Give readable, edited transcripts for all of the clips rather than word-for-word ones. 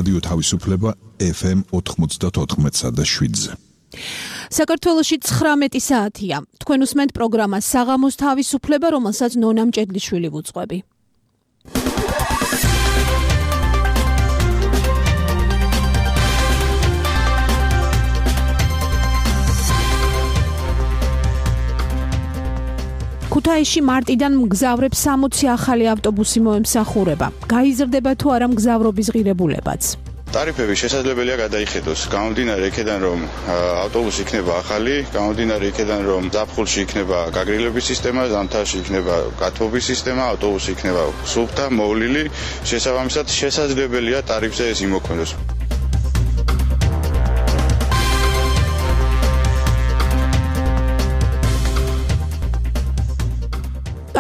რადიო თავისუფლება FM 94.7-ზე. საქართველოში 19 საათია. თქვენ უსმენთ პროგრამას საღამოს თავისუფლება, რომელსაც ნონა მჭედლიშვილი ვუძღვები. ქუთაისში მარტიდან მგზავრებს 60 ახალი ავტობუსი მოემსახურება. გაიზრდება თუ არა მგზავრობის ღირებულებაც. ტარიფები შესაძლებელია გადაიხედოს. გამომდინარე იქიდან, რომ ავტობუსი იქნება ახალი, გამომდინარე იქიდან, რომ ზაფხულში იქნება გაგრილების სისტემა, ზამთარში იქნება გათბობის სისტემა, ავტობუსი იქნება სუფთა, მოვლილი, შესაბამისად შესაძლებელია ტარიფზე ეს იმოქმედოს.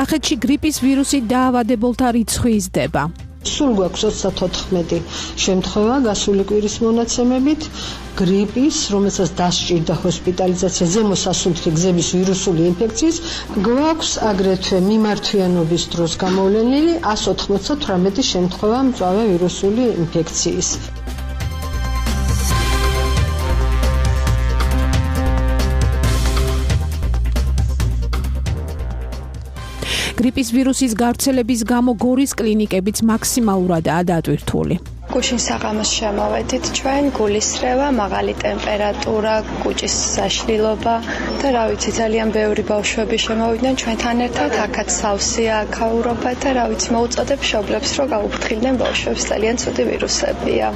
კახეთში გრიპის ვირუსით დაავადებულთა რიცხვი იზრდება. სულ გვაქვს 24 შემთხვევა გასული კვირის მონაცემებით გრიპის, რომელსაც დასჭირდა ჰოსპიტალიზაცია ზემო სასუნთქი გზების ვირუსული ინფექციის, გვაქვს აგრეთვე მიმართვიანობის დროს გამოვლენილი 198 შემთხვევა მწვავე ვირუსული ინფექციის. გრიპის ვირუსის გავრცელების გამო გორის კლინიკებიც მაქსიმალურადაა დატვირთული. გუშინ საღამოს შემოვედით ჩვენ, გულისრევა, მაღალი ტემპერატურა, კუჭის საშლილობა და რა ვიცი, ძალიან ბევრი ბავშვები შემოვიდნენ ჩვენთან ერთად, აქაც სავსეა აქაურობა და რა ვიცი, მოუწოდებ მშობლებს, რომ გაუფრთხილდნენ ბავშვებს, ძალიან ცუდი ვირუსებია.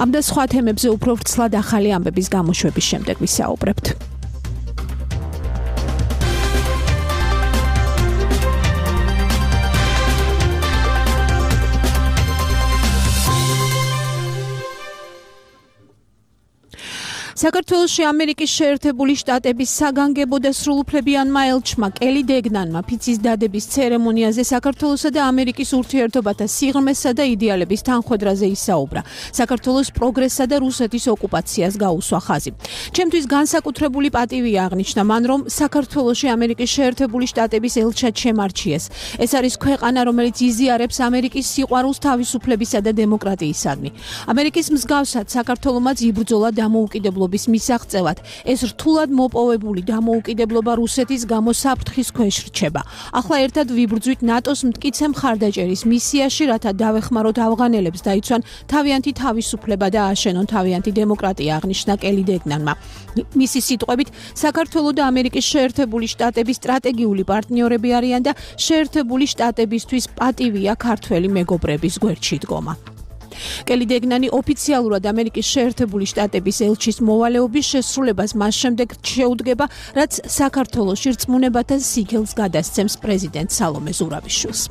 ამ და სხვა თემებზე უფრო ვრცლად ახალი ამბების გამოშვების შემდეგ ვისაუბრებთ. საქართველოში ამერიკის შეერთებული შტატების საგანგებო და სრულუფლებიანმა ელჩმა კელი დეგნანმა ფიცის დადების ცერემონიაზე საქართველოსა და ამერიკის ურთიერთობათა სიღრმესა და იდეალების თანხვედრაზე ისაუბრა. საქართველოს პროგრესსა და რუსეთის ოკუპაციას გაუსვა ხაზი. ჩემთვის განსაკუთრებული პატივია აღნიშნა მან, რომ საქართველოში ამერიკის შეერთებული შტატების ელჩად შემარჩიეს. ეს არის ქვეყანა, რომელიც იზიარებს ამერიკის სიყვარულს თავისუფლებისა და დემოკრატიისადმი. ამერიკის მსგავსად საქართველომაც იბრძოლა დამოუკიდებლობის მისაღწევად. ეს რთულად მოპოვებული დამოუკიდებლობა რუსეთის გამო საფრთხის ქვეშ რჩება. ახლა ერთად ვიბრძვით ნატოს მტკიცე მხარდაჭერის მისიაში, რათა დავეხმაროთ ავღანელებს დაიცვან თავიანთი თავისუფლება და ააშენონ თავიანთი დემოკრატია, აღნიშნა კელი დეგნანმა. მისი სიტყვებით, საქართველო და ამერიკის შეერთებული შტატები სტრატეგიული პარტნიორები არიან და შეერთებული შტატებისთვის პატივია ქართველი მეგობრების გვერდში დგომა. კელი დეგნანი ოფიციალურად ამერიკის შეერთებული შტატების ელჩის მოვალეობის შესრულებას მას შემდეგ შეუდგება, რაც საქართველოში რწმუნებათა სიგელს გადასცემს პრეზიდენტ სალომე ზურაბიშვილს.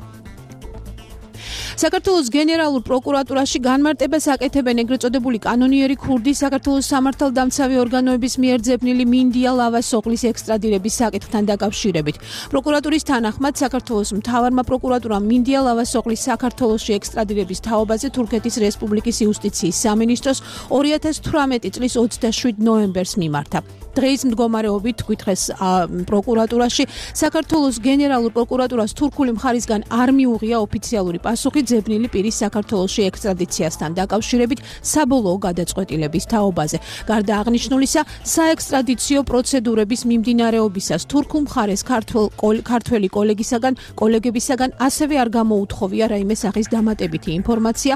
საქართველოს გენერალურ პროკურატურაში განმარტებას აკეთებენ ეგრეთ წოდებული კანონიერი ქურდი საქართველოს სამართალდამცავი ორგანოების მიერ ძებნილი მინდია ლავასოღლის ექსტრადირების საკითხთან დაკავშირებით. პროკურატურის თანახმად საქართველოს მთავარმა პროკურატურამ მინდია ლავასოღლის საქართველოში ექსტრადირების თაობაზე თურქეთის რესპუბლიკის იუსტიციის სამინისტროს 2018 წლის 27 ნოემბერს მიმართა. დღეის მდგომარეობით თვითხეს პროკურატურაში საქართველოს გენერალურ პროკურატურას თურქული მხარისგან არ მიუღია ოფიციალური პასუხი ძებნილი პირის საქართველოში ექსტრადიციასთან დაკავშირებით საბოლოო გადაწყვეტილების თაობაზე. გარდა აღნიშნულისა, საექსტრადიციო პროცედურების მიმდინარეობისას თურქულ მხარეს ქართველი კოლეგებისაგან ასევე არ გამოუთხოვია რაიმე სახის დამატებითი ინფორმაცია.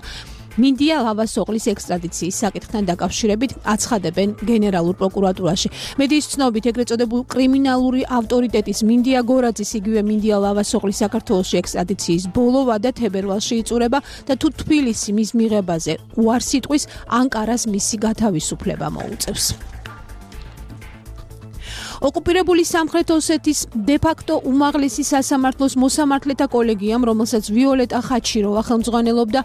მინდია ლავასოღლის ექსტრადიციის საკითხთან დაკავშირებით აცხადებენ გენერალურ პროკურატურაში. მედიის ცნობით ეგრეთ წოდებულ კრიმინალური ავტორიტეტის მინდია გორაძის იგივე მინდია ლავასოღლის საქართველოში ექსტრადიციის ბოლო ვადა თებერვალში იწურება და თუ თბილისი მის მიღებაზე უარს იტყვის, ანკარას მისი გათავისუფლება მოუწევს. ოკუპირებული სამხრეთ ოსეთის დე-ფაქტო უმაღლესი სასამართლოს მოსამართლეთა კოლეგიამ, რომელსაც ვიოლეტა ხაჩიროვა ხელმძღვანელობდა,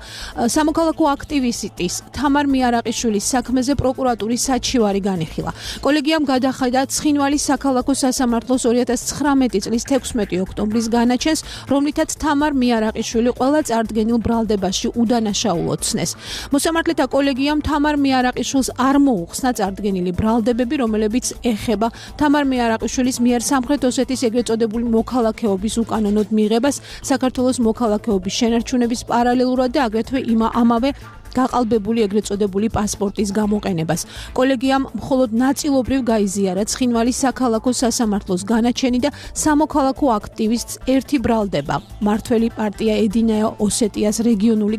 სამოქალაქო აქტივისტის თამარ მიარაყიშვილის საქმეზე პროკურატურის საჩივარი განიხილა. კოლეგიამ გადახედა ცხინვალის საქალაქო სასამართლოს 2019 წლის 16 ოქტომბრის განაჩენს, რომლითაც თამარ მიარაყიშვილი ყველა წარდგენილ ბრალდებაში უდანაშაულოდ ცნეს. მოსამართლეთა კოლეგიამ თამარ მიარაყიშვილს არ მოუხსნა წარდგენილი ბრალდებები, რომლებიც ეხება თამარ მეარაყიშვილის მიერ სამხრეთ ოსეთის ეგრეთ წოდებული მოქალაქეობის უკანონოდ მიღებას, საქართველოს მოქალაქეობის შენარჩუნების პარალელურად და აგრეთვე ამავე გაყალბებული ეგრეთ წოდებული პასპორტის გამოყენებას. კოლეგიამ მხოლოდ ნაწილობრივ გაიზიარა ცხინვალის საქალაქო სასამართლოს განაჩენი და სამოქალაქო აქტივისტს ერთი ბრალდება. მართველი პარტია ედინაე ოსეტიას რეგიონული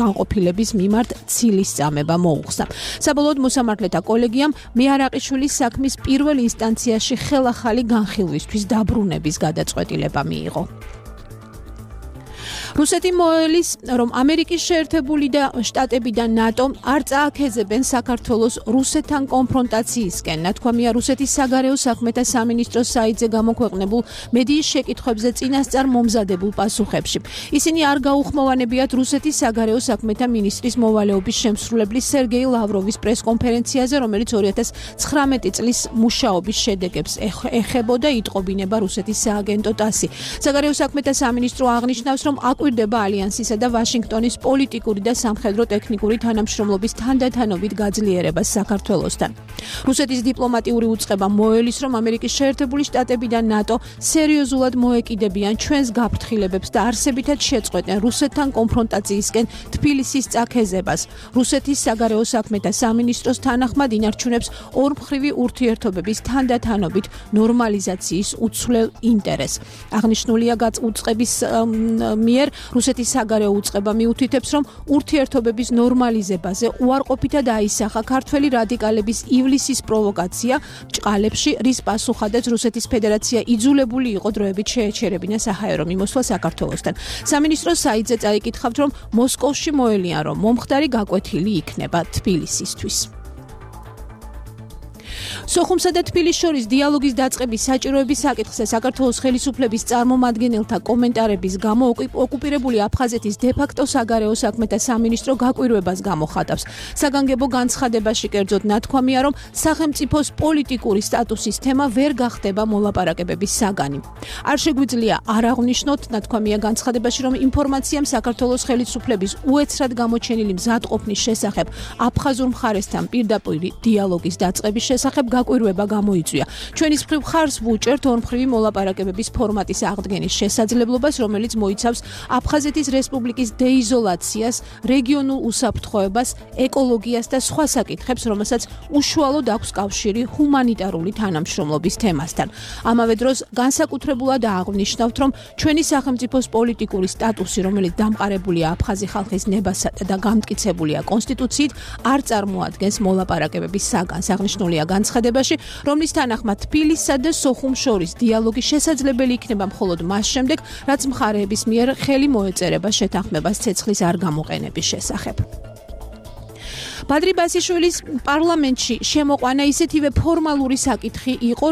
განყოფილების მიმართ ცილის წამება მოუხსნა. საბოლოოდ მოსამართლეთა კოლეგიამ მეარაყიშვილის საქმის პირველ ინსტანციაში ხელახალი განხილვისთვის დაბრუნების გადაწყვეტილება მიიღო. რუსეთი მოელის, რომ ამერიკის შეერთებული შტატები და ნატო არ წააქეზებენ საქართველოს რუსეთთან კონფრონტაციისკენ. ნათქვამია რუსეთის საგარეო საქმეთა სამინისტროს საიტზე გამოქვეყნებულ მედიის შეკითხვებზე წინასწარ მომზადებულ პასუხებში. ისინი არ გაუხმოვანებიათ რუსეთის საგარეო საქმეთა მინისტრის მოვალეობის შემსრულებლის სერგეი ლავროვის პრესკონფერენციაზე, რომელიც 2019 წლის მუშაობის შედეგებს ეხებოდა, იტყობინება რუსეთის სააგენტო ტასი. საგარეო საქმეთა სამინისტრო აღნიშნავს, რომ კვირდება ალიანსისა და ვაშინგტონის პოლიტიკური და სამხედრო-ტექნიკური თანამშრომლობის თანდათანობით გაძლიერებას საქართველოსთან. რუსეთის დიპლომატიური უწყება მოელის, რომ ამერიკის შეერთებული შტატები და ნატო სერიოზულად მოეკიდებიან ჩვენს გაფრთხილებებს და არსებითად შეწყვეტენ რუსეთთან კონფრონტაციისკენ თბილისის წაქეზებას. რუსეთის საგარეო საქმეთა სამინისტროს თანახმად ინარჩუნებს ორმხრივი ურთიერთობების თანდათანობით ნორმალიზაციის უცვლელ ინტერესს. აღნიშნულია უწყების მიერ რუსეთის საგარეო უწყება მიუთითებს, რომ ურთიერთობების ნორმალიზებაზე უარყოფითად აისახა ქართველი რადიკალების ივლისის პროვოკაცია ჭყალებში, რის პასუხადაც რუსეთის ფედერაცია იძულებული იყო დროებით შეეჩერებინა საჰაერო მიმოსვლა საქართველოსთან. სამინისტროს საიტზე წაიკითხავთ, რომ მოსკოვში მოელიან, რომ მომხდარი გაკვეთილი იქნება თბილისისთვის. სოხუმსა და თბილისის შორის დიალოგის დაწყების საჭიროების საკითხზე საქართველოს ხელისუფლების წარმომადგენელთა კომენტარების გამო ოკუპირებული აფხაზეთის დე-ფაქტო საგარეო საქმეთა სამინისტრო გაკვირვებას გამოხატავს. საგანგებო განცხადებაში კერძოდ ნათქვამია, რომ სახელმწიფოს პოლიტიკური სტატუსის თემა ვერ გახდება მოლაპარაკებების საგანი. არ შეგვიძლია არ აღვნიშნოთ, ნათქვამია განცხადებაში, რომ ინფორმაციამ საქართველოს ხელისუფლების უეცრად გამოჩენილი მზადყოფნის შესახებ აფხაზურ მხარესთან პირდაპირ დიალოგის დაწყების შესახებ გაკვირვება გამოიწვია. ჩვენის მხრივ ხარს ვუჭერთ ორმხრივი მოლაპარაკებების ფორმატის აღდგენის შესაძლებლობას, რომელიც მოიცავს აფხაზეთის რესპუბლიკის დეიზოლაციას, რეგიონულ უსაფრთხოებას, ეკოლოგიას და სხვა საკითხებს, რომელსაც უშუალოდ აქვს კავშირი ჰუმანიტარული თანამშრომლობის თემასთან. ამავე დროს განსაკუთრებულად აღნიშნავთ, რომ ჩვენი სახელმწიფოს პოლიტიკური სტატუსი, რომელიც დამყარებულია აფხაზი ხალხის ნებასა და გამტკიცებულია კონსტიტუციით, არ წარმოადგენს მოლაპარაკებების საგანს. აღნიშნულია განცხადებაში, რომლის თანახმად თბილისსა და სოხუმს შორის დიალოგი შესაძლებელი იქნება მხოლოდ მას შემდეგ, რაც მხარეების მიერ ხელი მოეწერება შეთანხმებას ცეცხლის არ გამოყენების შესახებ. ბადრი ბასიშვილის პარლამენტში შემოყვანა ისეთივე ფორმალური საკითხი იყო,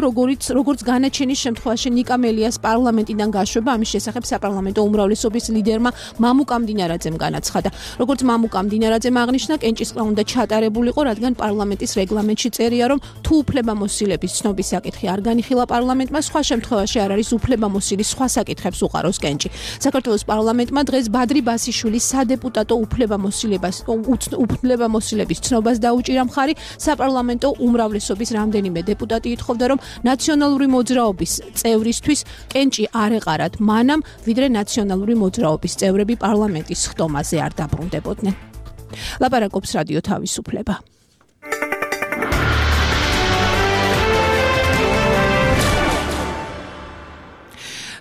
როგორც განაჩენის შემთხვევაში ნიკა მელიას პარლამენტიდან გაშვება. ამის შესახებ საპარლამენტო უმრავლესობის ლიდერმა მამუკა მდინარაძემ განაცხადა. როგორც მამუკა მდინარაძემ აღნიშნა, კენჭისყრა უნდა ჩატარებულიყო, რადგან პარლამენტის რეგლამენტში წერია, რომ თუ უფლებამოსილების ცნობის საკითხი არ განიხილა პარლამენტმა, სხვა შემთხვევაში არ არის უფლებამოსილის სხვა საკითხებს უყაროს კენჭი. საქართველოს პარლამენტმა დღეს ბადრი ბასიშვილის სადეპუტატო უფლებამოსილების ცნობას დაუჭირა მხარი. საპარლამენტო უმრავლესობის რამდენიმე დეპუტატი ითხოვდა, რომ ნაციონალური მოძრაობის წევრისთვის კენჭი არ ეყარათ მანამ, ვიდრე ნაციონალური მოძრაობის წევრები პარლამენტის ხტომაზე არ დაბრუნდებოდნენ. ლაპარაკობს რადიო თავისუფლება.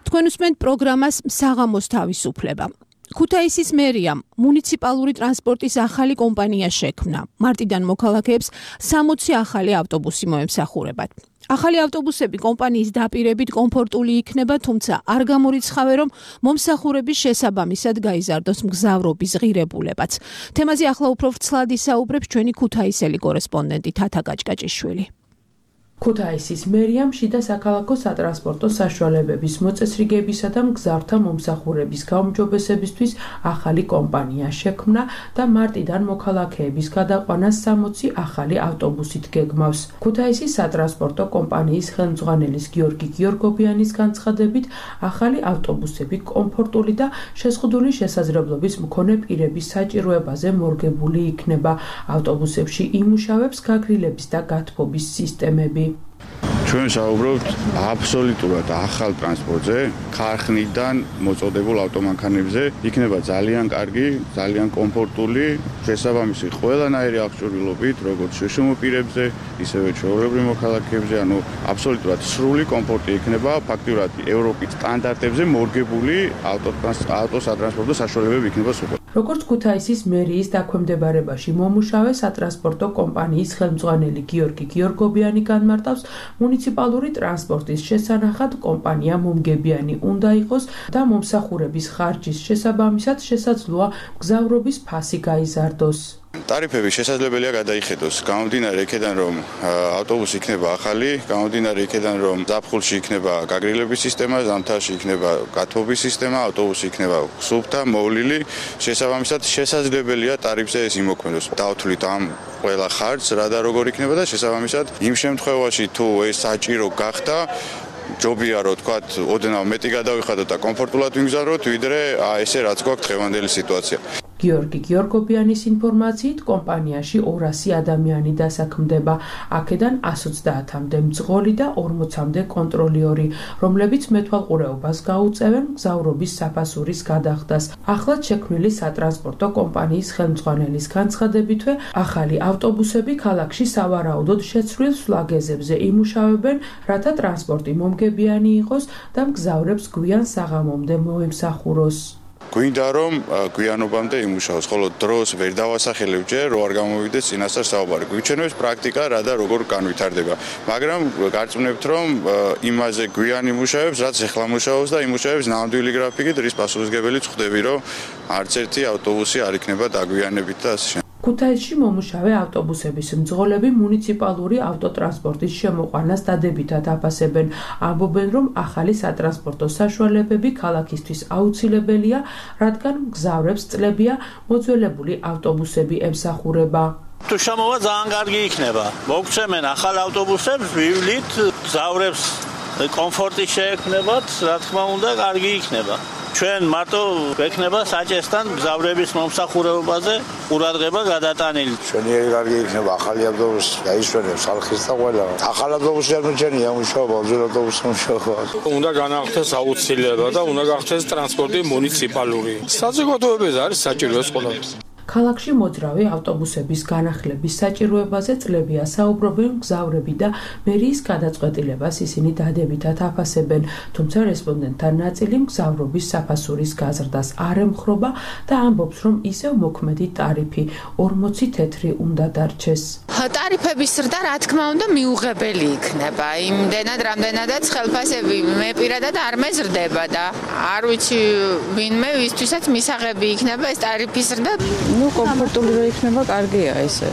თქვენ უსმენთ პროგრამას საღამოს თავისუფლება. ქუთაისის მერიამ მუნიციპალური ტრანსპორტის ახალი კომპანია შექმნა. მარტიდან მოქალაქეებს 60 ახალი ავტობუსი მოემსახურებათ. ახალი ავტობუსები კომპანიის დაპირებით კომფორტული იქნება, თუმცა არ გამორიცხავენ, რომ მომსახურების შესაბამისად გაიზარდოს მგზავრობის ღირებულებაც. თემაზე ახლა უფრო ვრცლად ისაუბრებს ჩვენი ქუთაისელი კორესპონდენტი თათა გაჭკაჭიშვილი. ქუთაისის მერიამ შიდა საქალაქო სატრანსპორტო საშუალებების მოწესრიგებისა და მგზავრთა მომსახურების გაუმჯობესებისთვის ახალი კომპანია შექმნა და მარტიდან მოქალაქეების გადაყვანას 60 ახალი ავტობუსით გეგმავს. ქუთაისის სატრანსპორტო კომპანიის ხელმძღვანელის გიორგი გიორგობიანის განცხადებით, ახალი ავტობუსები კომფორტული და შეზღუდული შესაძლებლობის მქონე პირების საჭიროებაზე მორგებული იქნება. ავტობუსებში იმუშავებს გაგრილების და გათბობის სისტემები. ჩვენ საუბრობთ აბსოლუტურად ახალ ტრანსპორტზე, ქარხნიდან მოწოდებულ ავტომანქანებზე, იქნება ძალიან კარგი, ძალიან კომფორტული, შესაბამისი ყველანაირი აღჭურვილობით, როგორც შეშმო პირებზე, ისევე ჩვეულებრივ მოქალაქეებზე, ანუ აბსოლუტურად სრული კომფორტი იქნება, ფაქტიურად ევროპის სტანდარტებზე მორგებული ავტოსატრანსპორტო საშუალებები იქნება სულ. როგორც ქუთაისის მერიის დაქვემდებარებაში მომუშავე სატრანსპორტო კომპანიის ხელმძღვანელი გიორგი გიორგობიანი განმარტავს, მუნიციპალური ტრანსპორტის შესანახად კომპანია მომგებიანი უნდა იყოს და მომსახურების ხარჯის შესაბამისად შესაძლოა მგზავრობის ფასი გაიზარდოს. ტარიფები შესაძლებელია გადაიხედოს, გამომდინარე იქედან რომ ავტობუსი იქნება ახალი, გამომდინარე იქედან რომ ზაფხულში იქნება გაგრილების სისტემა, ზამთარში იქნება გათბობის სისტემა, ავტობუსი იქნება სუფთა, მოვლილი, შესაბამისად შესაძლებელია ტარიფზე ეს იმოქმედოს. დავთვლით ამ ყველა ხარჯს, რა და როგორ იქნება და შესაბამისად იმ შემთხვევაში თუ ეს საჭირო გახდა ჯობია რომ თქვათ ოდნავ მეტი გადავიხადოთ და კომფორტულად ვიგზავნოთ, ვიდრე ესე რაც გვაქვს დღევანდელი სიტუაცია. გიორგი გიორგობიანის ინფორმაციით კომპანიაში 200 ადამიანი დასაქმდება, აქედან 130-მდე მძღოლი და 40-მდე კონტროლიორი, რომლებიც მეთვალყურეობას გაუწევენ მგზავრობის საფასურის გადახდას. ახლად შექმნილი სატრანსპორტო კომპანიის ხელმძღვანელის განცხადებითვე, ახალი ავტობუსები ქალაქში სავარაუდოდ შეცვლილ სვლაგეზებზე იმუშავებენ, რათა ტრანსპორტი მომგებიანი იყოს და მგზავრებს გვიან საღამომდე მოემსახუროს. გვინდა რომ გვიანობამდე იმუშაოს, ხოლო დროს ვერ დავასახელებ ჯერ, რომ არ გამოვიდეს წინასწარ საუბარი. გვიჩვენებს პრაქტიკა რა და როგორ განვითარდება. მაგრამ გარწმუნებთ რომ იმაზე გვიან იმუშავებს, რაც ეხლა მუშაობს და იმუშავებს ნამდვილი გრაფიკით, რის პასუხისგებელიც ხვდები, რომ არც ერთი ავტობუსი არ იქნება დაგვიანებით და ასე. ქუთაისში მომუშავე ავტობუსების მძღოლები მუნიციპალური ავტოტრანსპორტის შემოყვანას დადებითად აფასებენ. ამბობენ, რომ ახალი სატრანსპორტო საშუალებები ქალაქისთვის აუცილებელია, რადგან მგზავრებს წლებია მოძველებული ავტობუსები ემსახურება. თუ შემოვა ძალიან კარგი იქნება. მოგცემენ ახალ ავტობუსებს, ვივლით, მგზავრებს კომფორტი შეექმნებათ, რა თქმა უნდა, კარგი იქნება. ჩვენ მარტო გვექნება საჭესთან მგზავრების მომსახურებაზე ყურადღება გადატანილი. ჩვენი კარგი იქნება ახალი ავტობუსი, გაიშვენებს ხალხის და ყველა. ახალი ავტობუსი არ მიჩენია მუშაობა, ძველ ავტობუსი მუშაობა. უნდა განახდეს აუცილებლად და უნდა გახდეს ტრანსპორტი მუნიციპალური. საზოგადოებაზე არის საჭირო ეს ყველაფერი. ქალაქში მოძრავი ავტობუსების განახლების საჭიროებაზე წლებია საუბრობენ მგზავრები და მერიის გადაწყვეტილებას ისინი დადებითად აფასებენ, თუმცა რესპონდენტთა ნაწილი მგზავრობის საფასურის გაზრდას არ ემხრობა და ამბობს, რომ ისევ მოქმედი ტარიფი 40 თეთრი უნდა დარჩეს. ტარიფების ზრდა რა თქმა უნდა მიუღებელი იქნება. იმდენად რამდენადაც ხელფასები მე პირადად არ მეზრდება და არ ვიცი ვინმე ვისთვისაც მისაღები იქნება ეს ტარიფის ზრდა. კომფორტული რო იქნება, კარგია ესე.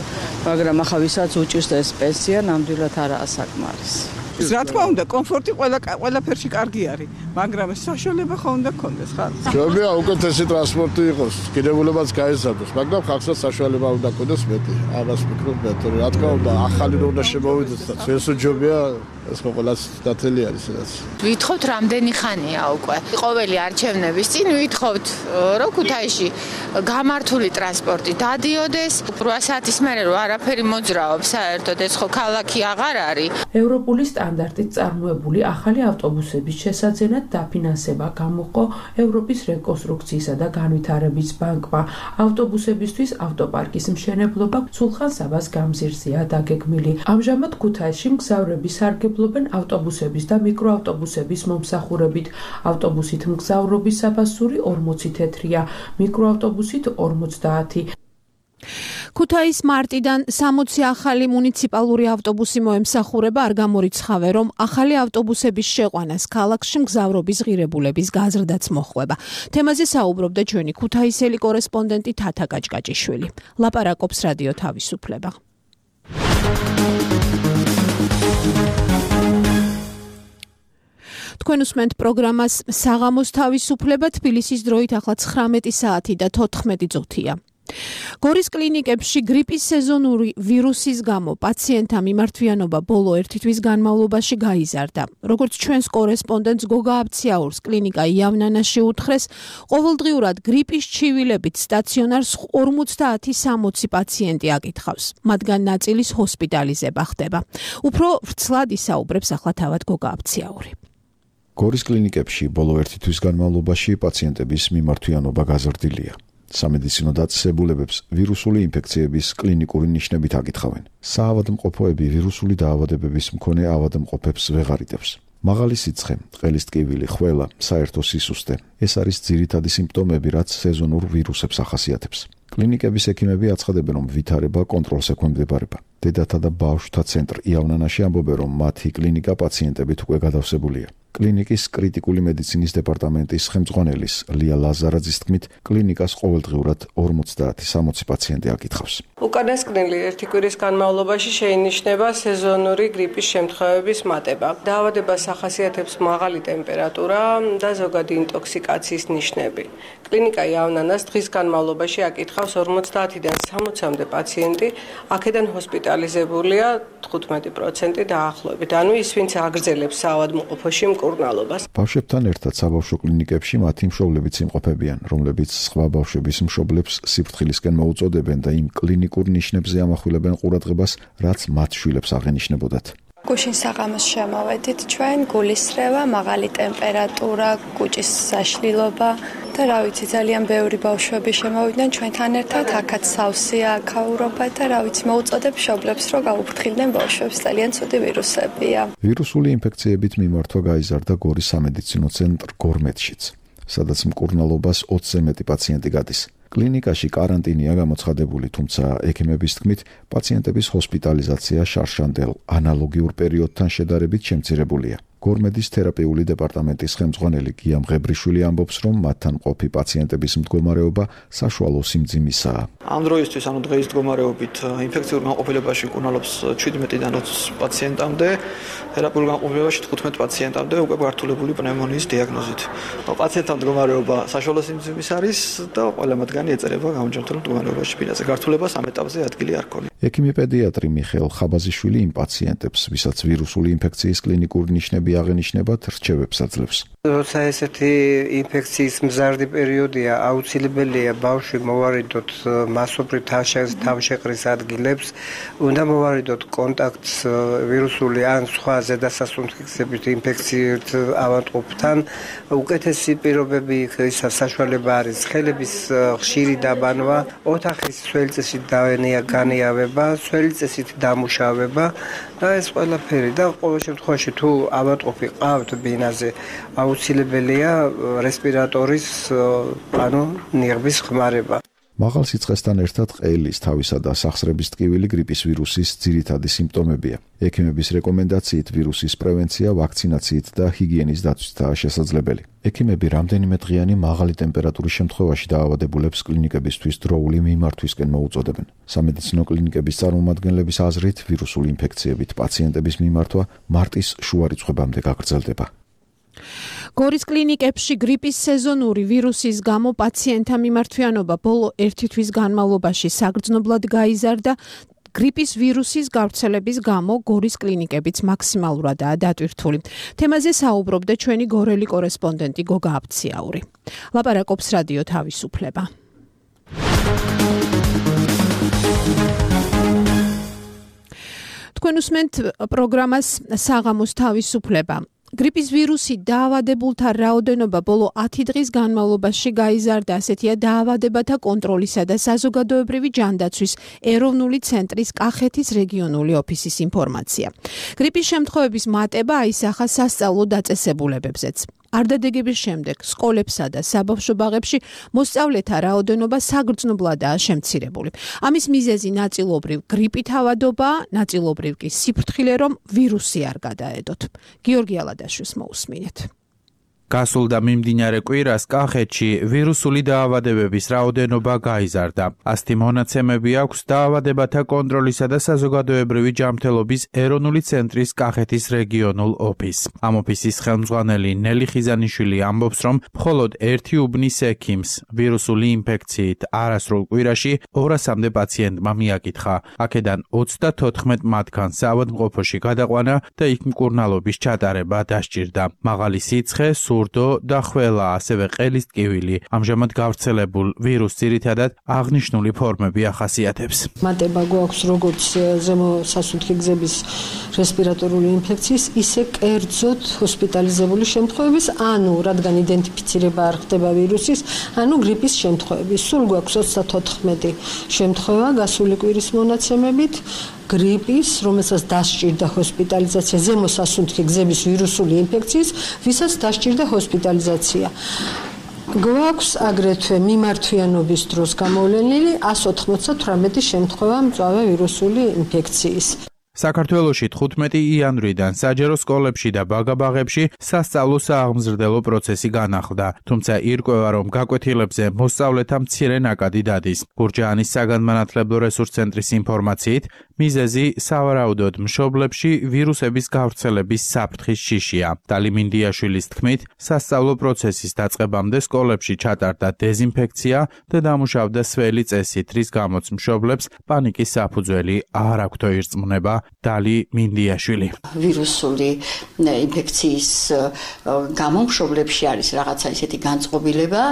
მაგრამ ახლა ვისაც უჭირს ეს პენსია, ნამდვილად არაა საკმარისი. რა თქმა უნდა, კომფორტი ყველაფერში კარგი არის, მაგრამ საშუალება ხო უნდა გქონდეს ხარ? ჯობია უკეთესი ტრანსპორტი იყოს, კიდევულებაც გაიზარდოს, მაგრამ ხალხსაც საშუალება უნდა გქონდეს მეტი. ამას ვფიქრობ მეტი. რა თქმა უნდა, ახალი რო უნდა შემოვიდეს და ჩვენს ჯობია ეს ხო ყველას დათელი არის ეს. ვითხოვთ რამდენი ხანია უკვე. ყოველი არჩევნების წინ ვითხოვთ, რომ ქუთაისში გამართული ტრანსპორტი დადიოდეს. 8 საათის მერე რო არაფერი მოძრაობს, საერთოდ ეს ხო ქალაქი აღარ არის. ევროპული სტანდარტით წარმოებული ახალი ავტობუსების შესაძენად დაფინანსება გამოყო ევროპის რეკონსტრუქციისა და განვითარების ბანკმა. ავტობუსებისთვის ავტოპარკის მშენებლობა სულხან-საბას გამზირზეა დაგეგმილი. ამჟამად ქუთაისში მგზავრები სარგებლობენ ავტობუსების და მიკროავტობუსების მომსახურებით. ავტობუსით მგზავრობის საფასური 40 თეთრია, მიკროავტობუსით 50. ქუთაის მარტიდან 60 ახალი მუნიციპალური ავტობუსი მოემსახურება, არ გამორიცხავე, რომ ახალი ავტობუსების შეყვანას ქალაქში მგზავრობის ღირებულების გაზრდაც მოჰყვება. თემაზე საუბრობდა ჩვენი ქუთაისელი კორესპონდენტი თათა გაჭკაჭიშვილი. ლაპარაკობს რადიო თავისუფლება. თქვენ უსმენთ პროგრამას საღამოს თავისუფლება, თბილისის დროით ახლა 19 საათი და 14 წუთია. გორის კლინიკებში გრიპის სეზონური ვირუსის გამო პაციენტთა მიმართვიანობა ბოლო 1 თვის განმავლობაში გაიზარდა. როგორც ჩვენს კორესპონდენტს გოგა აბციაურს კლინიკა იავნანაში უთხრეს, ყოველდღიურად გრიპის ჩივილებით სტაციონარს 50-60 პაციენტი აკითხავს. მათგან ნაწილის ჰოსპიტალიზება ხდება. უფრო ვრცლად ისაუბრებს ახლა თავად გოგა აბციაური. გორის კლინიკებში ბოლო 1 თვის განმავლობაში პაციენტების მიმართვიანობა გაზრდილია. სამედიცინო დაწესებულებებს ვირუსული ინფექციების კლინიკური ნიშნებით აკითხავენ. საავადმყოფოები ვირუსული დაავადებების მქონე ავადმყოფებს ვეღარიტებს. მაღალი სიცხე, ყელის ტკივილი, ხველა, საერთო სისუსტე. ეს არის ძირითადი სიმპტომები, რაც სეზონურ ვირუსებს ახასიათებს. კლინიკების ექიმები აცხადებენ, რომ ვითარება კონტროლს ექვემდებარება. დედათა და ბავშვთა ცენტრ იავნანაში ამბობენ, რომ მათი კლინიკა პაციენტებით უკვე გადავსებულია. კლინიკის კრიტიკული მედიცინის დეპარტამენტის ხელმძღვანელის ლია ლაზარაძის თქმით, კლინიკას ყოველდღიურად 50-60 პაციენტი აკითხავს. უკანასკნელი 1 კვირის განმავლობაში შეინიშნება სეზონური გრიპის შემთხვევების მატება. დაავადებას ახასიათებს მაღალი ტემპერატურა და ზოგადი ინტოქსიკაციის ნიშნები. კლინიკა იავნანას დღის განმავლობაში აკითხავს 50-დან 60-მდე პაციენტი, აქედან ჰოსპიტალიზებულია 15% დაახლოებით. ანუ ის, ვინც აგრძელებს საავადმყოფოში მკურნალობას. ბავშვებთან ერთად საბავშვო კლინიკებში მათი მშობლებიც იმყოფებიან, რომლებიც სხვა ბავშვების მშობლებს სიფრთხილისკენ მოუწოდებენ და იმ კლინიკურ ნიშნებზე ამახვილებენ ყურადღებას, რაც მათ შვილებს აღენიშნებოდათ. გუშინ საღამოს შემოვედით ჩვენ, გულისრევა, მაღალი ტემპერატურა, კუჭის საშლილობა და რა ვიცი, ძალიან ბევრი ბავშვები შემოვიდნენ ჩვენთან ერთად, აქაც სავსეა ქაურობა და რა ვიცი, მოუწოდებ მშობლებს, რომ გაუფრთხილდნენ ბავშვებს, ძალიან ცუდი ვირუსებია. ვირუსული ინფექციებით მიმართვა გაიზარდა გორის სამედიცინო ცენტრ გორმედშიც, სადაც მკურნალობას 20-ზე მეტი პაციენტი გადის. კლინიკაში კარანტინია გამოცხადებული, თუმცა ექიმების თქმით, პაციენტების ჰოსპიტალიზაცია შარშანდელ ანალოგიურ პერიოდთან შედარებით შემცირებულია. გორმედის თერაპიული დეპარტამენტის ხელმძღვანელი გია მღებრიშვილი ამბობს, რომ მათთან მყოფი პაციენტების მდგომარეობა საშუალო სიმძიმისაა. ამ დროისთვის, ანუ დღეის მდგომარეობით, ინფექციურ განყოფილებაში მკურნალობს 17-დან 20 პაციენტამდე, თერაპიულ განყოფილებაში 15 პაციენტამდე უკვე გართულებული პნევმონიის დიაგნოზით. პაციენტთა მდგომარეობა საშუალო სიმძიმის არის და ყველა მათგანი ეწერება გამარჯვებულ მდგომარეობაში ფინანსზე. გართულებას ამ ეტაპზე ადგილი არ ქონია. ექიმი პედიატრი მიხეილ ხაბაზიშვილი იმ პაციენტებს, ვისაც ვირუსული ინფექციის კლინიკური ნიშნები აღენიშნებათ, რჩევებს აძლევს. როცა ესეთი ინფექციის მზარდი პერიოდია, აუცილებელია ბავშვი მოვარიდოთ მასობრივ თავშეყრის ადგილებს, უნდა მოვარიდოთ კონტაქტს ვირუსული ან სხვა ზედასასუნთქი ინფექციით ავადმყოფთან. უკეთესი პირობები საშუალება არის ხელების ხშირი დაბანვა, ოთახის სველწესით განიავება, სველწესით დამუშავება და ეს ყველაფერი და ყოველ შემთხვევაში თუ ავადმყოფი ყავთ ბინაზე, აუცილებელია რესპირატორის ანუ ნიღბის ხმარება. მაღალ სიცხესთან ერთად ყელის, თავისა და სახსრების ტკივილი გრიპის ვირუსის ძირითადი სიმპტომებია. ექიმების რეკომენდაციით ვირუსის პრევენცია ვაქცინაციით და ჰიგიენის დაცვითაა შესაძლებელი. ექიმები რამდენიმე დღიანი მაღალი ტემპერატურის შემთხვევაში დაავადებულებს კლინიკებისთვის დროული მიმართვისკენ მოუწოდებენ. სამედიცინო კლინიკების წარმომადგენლების აზრით, ვირუსული ინფექციებით პაციენტების მიმართვა მარტის შუა რიცხვებამდე გაგრძელდება. გორის კლინიკებში გრიპის სეზონური ვირუსის გამო პაციენტთა მიმართვიანობა ბოლო 1 თვის განმავლობაში საგრძნობლად გაიზარდა. გრიპის ვირუსის გავრცელების გამო გორის კლინიკებიც მაქსიმალურადაა დატვირთული. თემაზე საუბრობდა ჩვენი გორელი კორესპონდენტი გოგა აბციაური. ლაპარაკობს რადიო თავისუფლება. თქვენ უსმენთ პროგრამას საღამოს თავისუფლება. გრიპის ვირუსი დაავადებულთა რაოდენობა ბოლო 10 დღის განმავლობაში გაიზარდა, ასეთია დაავადებათა კონტროლისა და საზოგადოებრივი ჯანდაცვის ეროვნული ცენტრის კახეთის რეგიონული ოფისის ინფორმაცია. გრიპის შემთხვევების მატება აისახა სასწავლო დაწესებულებებზეც. არდადეგების შემდეგ სკოლებსა და საბავშვო ბაღებში მოსწავლეთა რაოდენობა საგრძნობლადაა შემცირებული. ამის მიზეზი ნაწილობრივ გრიპით ავადობაა, ნაწილობრივ კი სიფრთხილე, რომ ვირუსი არ გადაედოთ. გიორგი ალადაშვილს მოусმინეთ. გასულ და მიმდინარე კვირას კახეთში ვირუსული დაავადებების რაოდენობა გაიზარდა. ასეთი მონაცემები აქვს დაავადებათა კონტროლისა და საზოგადოებრივი ჯანმრთელობის ეროვნული ცენტრის კახეთის რეგიონულ ოფისს. ამ ოფისის ხელმძღვანელი ნელი ხიზანიშვილი ამბობს, რომ მხოლოდ ერთი უბნის ექიმს ვირუსული ინფექციით არასრულ კვირაში 200-მდე პაციენტმა მიაკითხა. აქედან 34 მათგანს საავადმყოფოში გადაყვანა და იქ მკურნალობის ჩატარება დასჭირდა. მაღალი სიცხე, სურდო და ხველა, ასევე ყელის ტკივილი ამჟამად გავრცელებულ ვირუსს ძირითადად აღნიშნული ფორმები ახასიათებს. მატება გვაქვს როგორც ზემო სასუნთქი გზების რესპირატორული ინფექციის, ისე კერძოდ ჰოსპიტალიზებული შემთხვევების, ანუ რადგან იდენტიფიცირება არ ხდება ვირუსის, ანუ გრიპის შემთხვევების. სულ გვაქვს 34 შემთხვევა გასული კვირის მონაცემებით გრიპის, რომელსაც დასჭირდა ჰოსპიტალიზაცია, ზემო სასუნთქი გზების ვირუსული ინფექციის, ვისაც დასჭირდა ჰოსპიტალიზაცია. გვაქვს აგრეთვე მიმართვიანობის დროს გამოვლენილი 198 შემთხვევა მწვავე ვირუსული ინფექციის. საქართველოში 15 იანვრიდან საჯარო სკოლებში და ბაგაბაღებში სასწავლო სააღმზრდელო პროცესი განახლდა, თუმცა ირკვევა, რომ გაკვეთილებზე მოსწავლეთა მცირე ნაკადი დადის. გურჯაანის საგანმანათლებლო რესურს ცენტრის ინფორმაციით, მიზეზი სავარაუდოდ მშობლებში ვირუსების გავრცელების საფრთხის შიშია. დალი მინდიაშვილის თქმით, სასწავლო პროცესის დაწყებამდე სკოლებში ჩატარდა დეზინფექცია და დამუშავდა სველი წესით, რის გამოც მშობლებს პანიკის საფუძველი არ აქვთ ირწმუნება. დალი მინდიაშვილი. ვირუსული ინფექციის გამო მშობლებში არის რაღაცა ისეთი განწყობილება,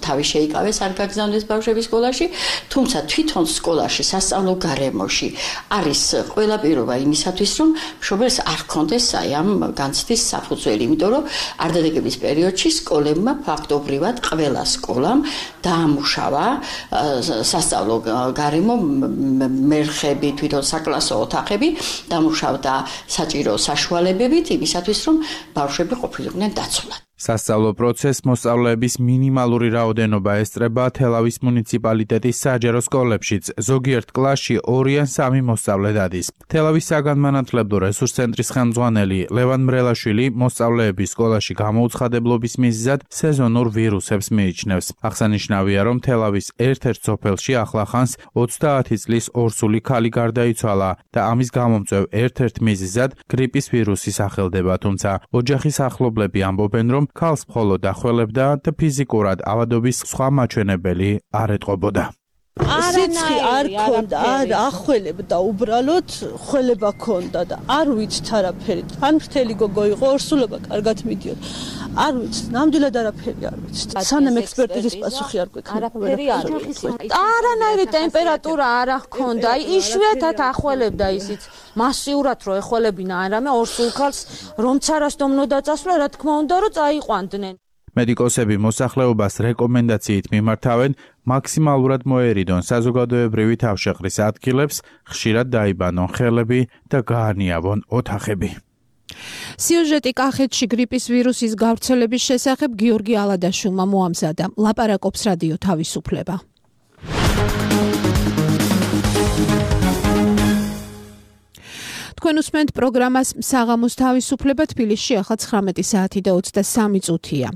თავი შეიკავეს, არ გაგზავნეს ბავშვები სკოლაში, თუმცა თვითონ სკოლაში, სასწავლო გარემოში არის ყველა პირობა იმისათვის, რომ მშობელს არ ჰქონდეს ამ განცდის საფუძველი, იმიტომ რომ არდადეგების პერიოდში სკოლებმა ფაქტობრივად ყველა სკოლამ დაამუშავა სასწავლო გარემო, მერხები, თვითონ საკლასო ოთახები დამუშავდა საჭირო საშუალებებით იმისათვის, რომ ბავშვები ყოფილიყვნენ დაცულად. სასწავლო პროცესს მოსწავლეების მინიმალური რაოდენობა ესწრება თელავის მუნიციპალიტეტის საჯარო სკოლებშიც. ზოგიერთ კლასში 2 ან 3 მოსწავლე დადის. თელავის საგანმანათლებლო რესურს ცენტრის ხელმძღვანელი ლევან მრელაშვილი მოსწავლეების სკოლაში გამოუცხადებლობის მიზეზად სეზონურ ვირუსებს მიიჩნევს. აღსანიშნავია, რომ თელავის ერთ-ერთ სოფელში ახლახანს 30 წლის ორსული ქალი გარდაიცვალა და ამის გამომწვევ ერთ-ერთ მიზეზად გრიპის ვირუსი სახელდება, თუმცა ოჯახის ახლობლები ამბობენ, რომ ქალს მხოლოდ ახველებდა და ფიზიკურად ავადობის სხვა მაჩვენებელი არ ეტყობოდა. სიცხე არ ქონდა, არ ახველებდა, უბრალოდ ხველება ქონდა და არ ვიცით არაფერი. ან ფრთელი გოგო იყო, ორსულობა კარგად მიდიოდა. არ ვიცით, ნამდვილად არაფერი არ ვიცით. სანამ ექსპერტიზის პასუხი არ გვექნება. არაფერი არ ვიცით. არანაირი ტემპერატურა არ ჰქონდა, იშვიათად ახველებდა ისიც. მასიურად რო ეხველებინა არამე ორსულ ქალს, რომც არასდომნო დაწასვლა, რა თქმა უნდა, რომ წაიყვანდნენ. მედიკოსები მოსახლეობას რეკომენდაციით მიმართავენ მაქსიმალურად მოერიდონ საზოგადოებრივი თავშეყრის ადგილებს, ხშირად დაიბანონ ხელები და გაანიავონ ოთახები. სიუჟეტი კახეთში გრიპის ვირუსის გავრცელების შესახებ გიორგი ალადაშვილმა მოამზადა. ლაპარაკობს რადიო თავისუფლება. თქვენ უსმენთ პროგრამას საღამოს თავისუფლება. თბილისში ახლა 19 საათი და 23 წუთია.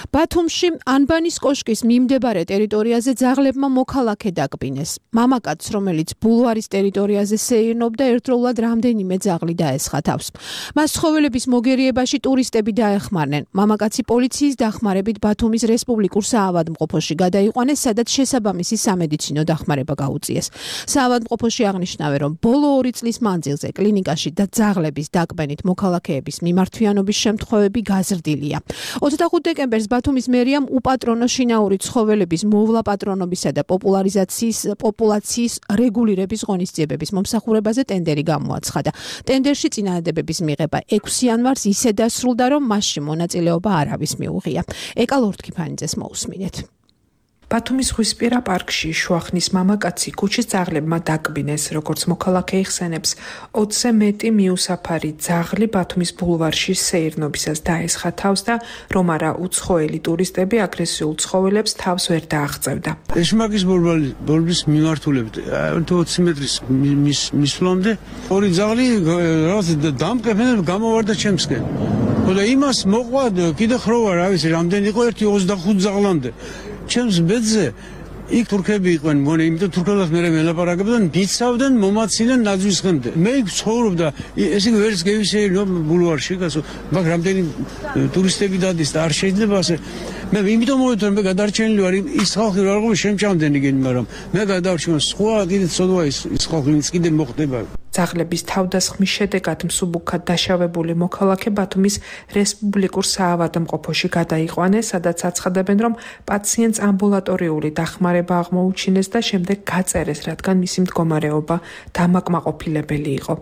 ბათუმში ანბანის კოშკის მიმდებარე ტერიტორიაზე ძაღლებმა მოქალაქე დაკბინეს. მამაკაცს, რომელიც ბულვარის ტერიტორიაზე სეირნობდა, ერთდროულად რამდენიმე ძაღლი დაესხა თავს. მას ცხოველების მოგერიებაში ტურისტები დაეხმარნენ. მამაკაცი პოლიციის დახმარებით ბათუმის რესპუბლიკურ საავადმყოფოში გადაიყვანეს, სადაც შესაბამისი სამედიცინო დახმარება გაუწიეს. საავადმყოფოში აღნიშნავენ, რომ ბოლო 2 წლის მანძილზე კლინიკაში და ძაღლების დაკბენით მოქალაქეების მიმართვიანობის შემთხვევები გაზრდილია. 25 დეკემბერს ბათუმის მერიამ უპატრონო შინაური ცხოველების მოვლა პატრონობისა და პოპულაციის რეგულირების ღონისძიებების მომსახურებაზე ტენდერი გამოაცხადა. ტენდერში წინადადებების მიღება 6 იანვარს ისე დასრულდა, რომ მასში მონაწილეობა არავის მიუღია. ეკა ლორდქიფანიძეს მოусმინეთ. ბათუმის ზღვისპირა პარკში შუახნის მამაკაცი ქუჩის ძაღლებმა დაკბინეს, როგორც მოქალაქე იხსენებს, 20-ზე მეტი მიუსაფარი ძაღლი ბათუმის ბულვარში სეირნობისას დაესხა თავს და რომ არა უცხოელი ტურისტები აგრესიულ ცხოველებს თავს ვერ დააღწევდა. ეშმაკის ბულვარის მიმართულებით 20 მეტრის მისვლამდე ორი ძაღლი რაღაც დამტკეფენ გამოვარდა ჩემსკენ. და იმას მოყვა კიდე ხროვა რა ვიცი რამდენი იყო 1.25 ზაღლამდე ჩემს ბედზე იქ თურქები იყვნენ მგონი იმიტომ თურქებთან მე მელაპარაკებდნენ მიცავდნენ მომაცილენ ნაძვის ხემდე მე იქ ცხოვრობდა ესე ვერც გევისეირო ბულვარში გასო მაგ რამდენი ტურისტები დადის და არ შეიძლება ასე მე იმიტომ მოვეწონა მე გადარჩენილი ვარ ის ხალხი რა როგორ შემჭამდენი გენი მაგრამ მე გადავარჩენ სხვა კიდე ცოდვა ის ხალხი ვინც კიდე მოხდება ძაღლების თავდასხმის შედეგად მსუბუქად დაშავებული მოქალაქე ბათუმის რესპუბლიკურ საავადმყოფოში გადაიყვანეს, სადაც აცხადებენ, რომ პაციენტს ამბულატორიული დახმარება აღმოუჩინეს და შემდეგ გაწერეს, რადგან მისი მდგომარეობა დამაკმაყოფილებელი იყო.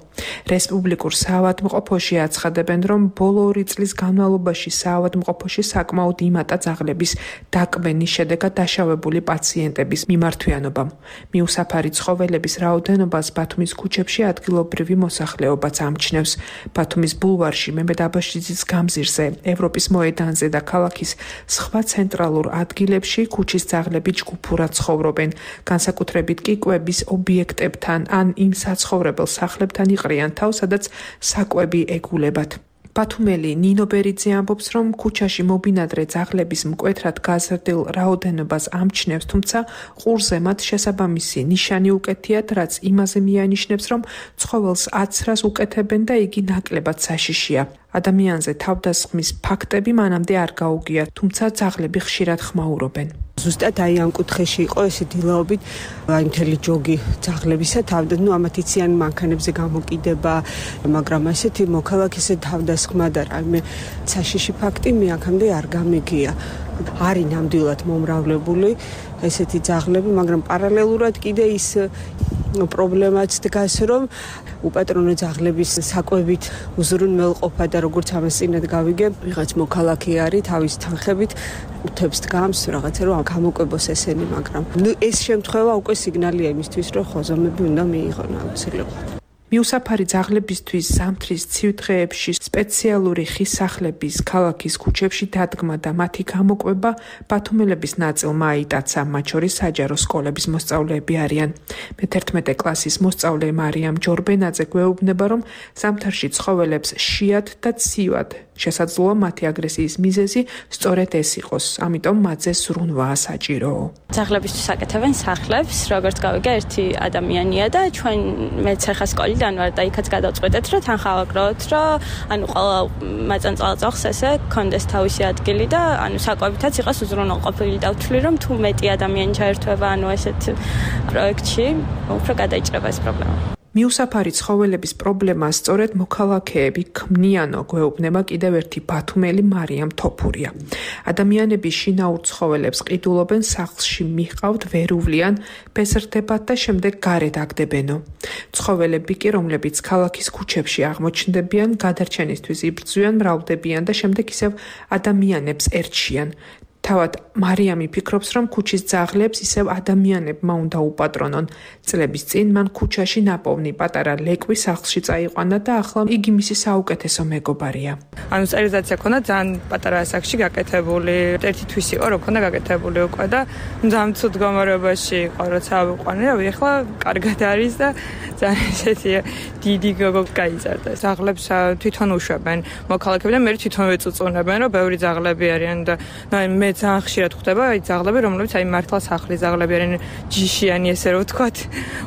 რესპუბლიკურ საავადმყოფოში აცხადებენ, რომ ბოლო 2 წლის განმავლობაში საავადმყოფოში საკმაოდ იმატა ძაღლების დაკბენის შედეგად დაშავებული პაციენტების მიმართვიანობამ. მიუსაფარი ცხოველების რაოდენობას ბათუმის ქუჩებში ადგილობრივი მოსახლეობაც ამჩნევს. ბათუმის ბულვარში, მემედ აბაშიძის გამზირზე, ევროპის მოედანზე და ქალაქის სხვა ცენტრალურ ადგილებში ქუჩის ძაღლები ჯგუფურად ცხოვრობენ. განსაკუთრებით კი კვების ობიექტებთან ან იმ საცხოვრებელ სახლებთან იყრიან თავს, სადაც საკვები ეგულებათ. ბათუმელი ნინო ბერიძე ამბობს, რომ ქუჩაში მობინადრე ძაღლების მკვეთრად გაზრდილ რაოდენობას ამჩნევს, თუმცა ყურზე მათ შესაბამისი ნიშანი უკეთიათ, რაც იმაზე მიანიშნებს, რომ ცხოველს აცრას უკეთებენ და იგი ნაკლებად საშიშია. ადამიანზე თავდასხმის ფაქტები მანამდე არ გაუგია, თუმცა ძაღლები ხშირად ხმაურობენ. ზუსტად აი ამ კუთხეში იყო ესე დილაობით აი მთელი ჯოგი ძაღლებისა თავდასხმა, ნუ ამათ იციან მანქანებზე გამოკიდება, მაგრამ ასეთი მოქალაქის თავდასხმა და რაიმე საშიში ფაქტი მე აქამდე არ გამიგია. არის ნამდვილად მომრავლებული ესეთი ძაღლები, მაგრამ პარალელურად კიდე ის პრობლემაც დგას, რომ უპატრონო ძაღლების საკვებით უზრუნველყოფა და როგორც ამას წინათ გავიგე, ვიღაც მოქალაქე არის თავის თანხებით უთებს დგამს რაღაცა რომ გამოკვებოს ესენი, მაგრამ ნუ ეს შემთხვევა უკვე სიგნალია იმისთვის, რომ ხოზომები უნდა მიიღონ აუცილებლად. მიუსაფარი ძაღლებისთვის ზამთრის ცივ დღეებში სპეციალური ხის სახლების ქალაქის ქუჩებში დადგმა და მათი გამოკვება ბათუმელების ნაწილმა აიტაცა, მათ შორის საჯარო სკოლების მოსწავლეები არიან. მე-11 კლასის მოსწავლე მარიამ ჯორბენაძე გვეუბნება, რომ ზამთარში ცხოველებს შიათ და ცივად შესაძლოა მათი აგრესიის მიზეზი სწორედ ეს იყოს, ამიტომ მათზე ზრუნვაა საჭირო. ძაღლებისთვის აკეთებენ სახლებს, როგორც გავიგე, ერთი ადამიანია და ჩვენ მეც ახლა სკოლიდან ვარ და იქაც გადავწყვეტეთ, რომ თან ხავაგროთ, რომ ანუ ყველა მაწანწალწახს ესე კონდეს თავისი ადგილი და ანუ საკვებითაც იყოს უზრუნველყოფილი და ვთვლი, რომ თუ მეტი ადამიანი ჩაერთვება ანუ ესეთ პროექტში, უფრო გადაიჭრება ეს პრობლემა. მიუსაფარი ცხოველების პრობლემა სწორედ მოქალაქეები ქმნიანო, გვეუბნება კიდევ ერთი ბათუმელი მარიამ თოფურია. ადამიანები შინაურ ცხოველებს ყიდულობენ სახლში მიჰყავთ ვერუვლიან, ბესრდებათ და შემდეგ გარეთ აგდებენო. ცხოველები კი, რომლებიც ქალაქის ქუჩებში აღმოჩნდებიან, გადარჩენისთვის იბრძვიან, მრავლდებიან და შემდეგ ისევ ადამიანებს ერჩიან. თავად მარიამი ფიქრობს, რომ ქუჩის ძაღლებს ისევ ადამიანებმა უნდა უპატრონონ. წლების წინ მან ქუჩაში ნაპოვნი პატარა ლეკვი სახლში წაიყვანა და ახლა იგი მისი საუკეთესო მეგობარია. ანუ სტერილიზაცია ქონდა ძალიან პატარა სახლში გაკეთებული. ერთი თვის იყო, რომ ქონდა გაკეთებული უკვე და ძალიან ცუდ გამარებაში იყო, როცა ავიყვანე, რავი, ახლა კარგად არის და ძალიან ესეთი დიდი გოგო გაიზარდა. ძაღლებს თვითონ უშვებენ მოქალაქეები და მე თვითონ ვეწუწუნებენ, რომ ბევრი ძაღლები არიან და მე ძალიან ხშირად ხვდება აი ძაღლები, რომლებიც აი მართლა სახლის ძაღლები არიან, ჯიშიანი ესე რომ ვთქვათ,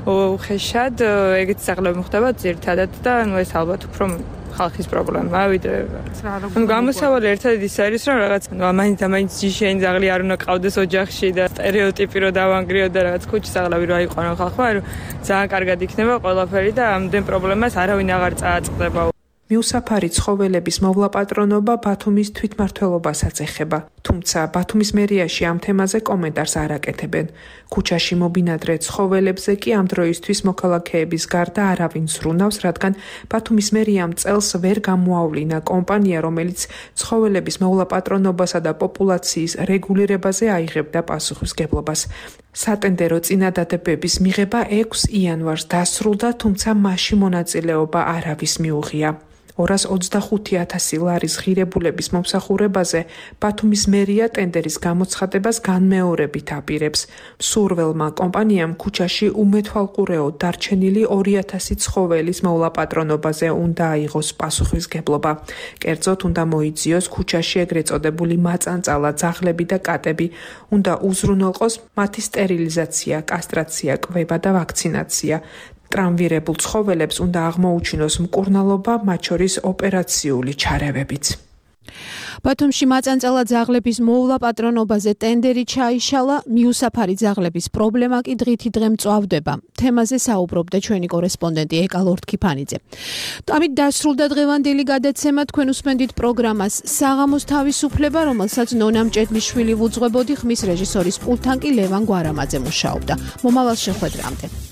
უხეშად ეგეთ ძაღლები ხდება ძირთადად და ნუ ეს ალბათ უფრო ხალხის პრობლემაა, ვიდრე ანუ გამოსავალი ერთად ის არის, რომ რაღაც მაინც ჯიშიანი ძაღლი არ უნდა ყავდეს ოჯახში და სტერეოტიპი რომ დავანგრიო და რაღაც ქუჩის ძაღლები რო აიყვანო ხალხმა, რომ ძალიან კარგად იქნება ყველაფერი და ამდენ პრობლემას არავინ აღარ წააწყდება. მიუსაფარი ცხოველების მოვლაპატრონობა ბათუმის თვითმმართველობასაც ეხება, თუმცა ბათუმის მერიაში ამ თემაზე კომენტარს არ აკეთებენ. ქუჩაში მობინადრე ცხოველებზე კი ამ დროისთვის მოქალაქეების გარდა არავინ ზრუნავს, რადგან ბათუმის მერიამ წელს ვერ გამოავლინა კომპანია, რომელიც ცხოველების მოვლაპატრონობასა და პოპულაციის რეგულირებაზე აიღებდა პასუხისმგებლობას. სატენდერო წინადადებების მიღება 6 იანვარს დასრულდა, თუმცა მასში მონაწილეობა არავის მიუღია. 225,000 ლარის ღირებულების მომსახურებაზე ბათუმის მერია ტენდერის გამოცხადებას განმეორებით აპირებს. მსურველმა კომპანიამ ქუჩაში უმეთვალყურეო დარჩენილი 2,000 ცხოველის მოვლაპატრონობაზე უნდა აიღოს პასუხისგებლობა. კერძოდ უნდა მოიძიოს ქუჩაში ეგრეთ წოდებული მაწანწალა, ძაღლები და კატები, უნდა უზრუნველყოს მათი სტერილიზაცია, კასტრაცია, კვება და ვაქცინაცია. ტრამვირებულ ცხოველებს უნდა აღმოუჩინოს მკურნალობა, მათ შორის ოპერაციული ჩარევებიც. ბათუმში მაწანწალა ძაღლების მოვლაპატრონობაზე ტენდერი ჩაიშალა, მიუსაფარი ძაღლების პრობლემა კი დღითი დღე მწვავდება. თემაზე საუბრობდა ჩვენი კორესპონდენტი ეკა ლორთქიფანიძე. ამით დასრულდა დღევანდელი გადაცემა. თქვენ უსმენდით პროგრამას საღამოს თავისუფლება, რომელსაც ნონა მჭედლიშვილი ვუძღვებოდი, ხმის რეჟისორის პულტთან კი ლევან გვარამაძე მუშაობდა. მომავალ შეხვედრამდე.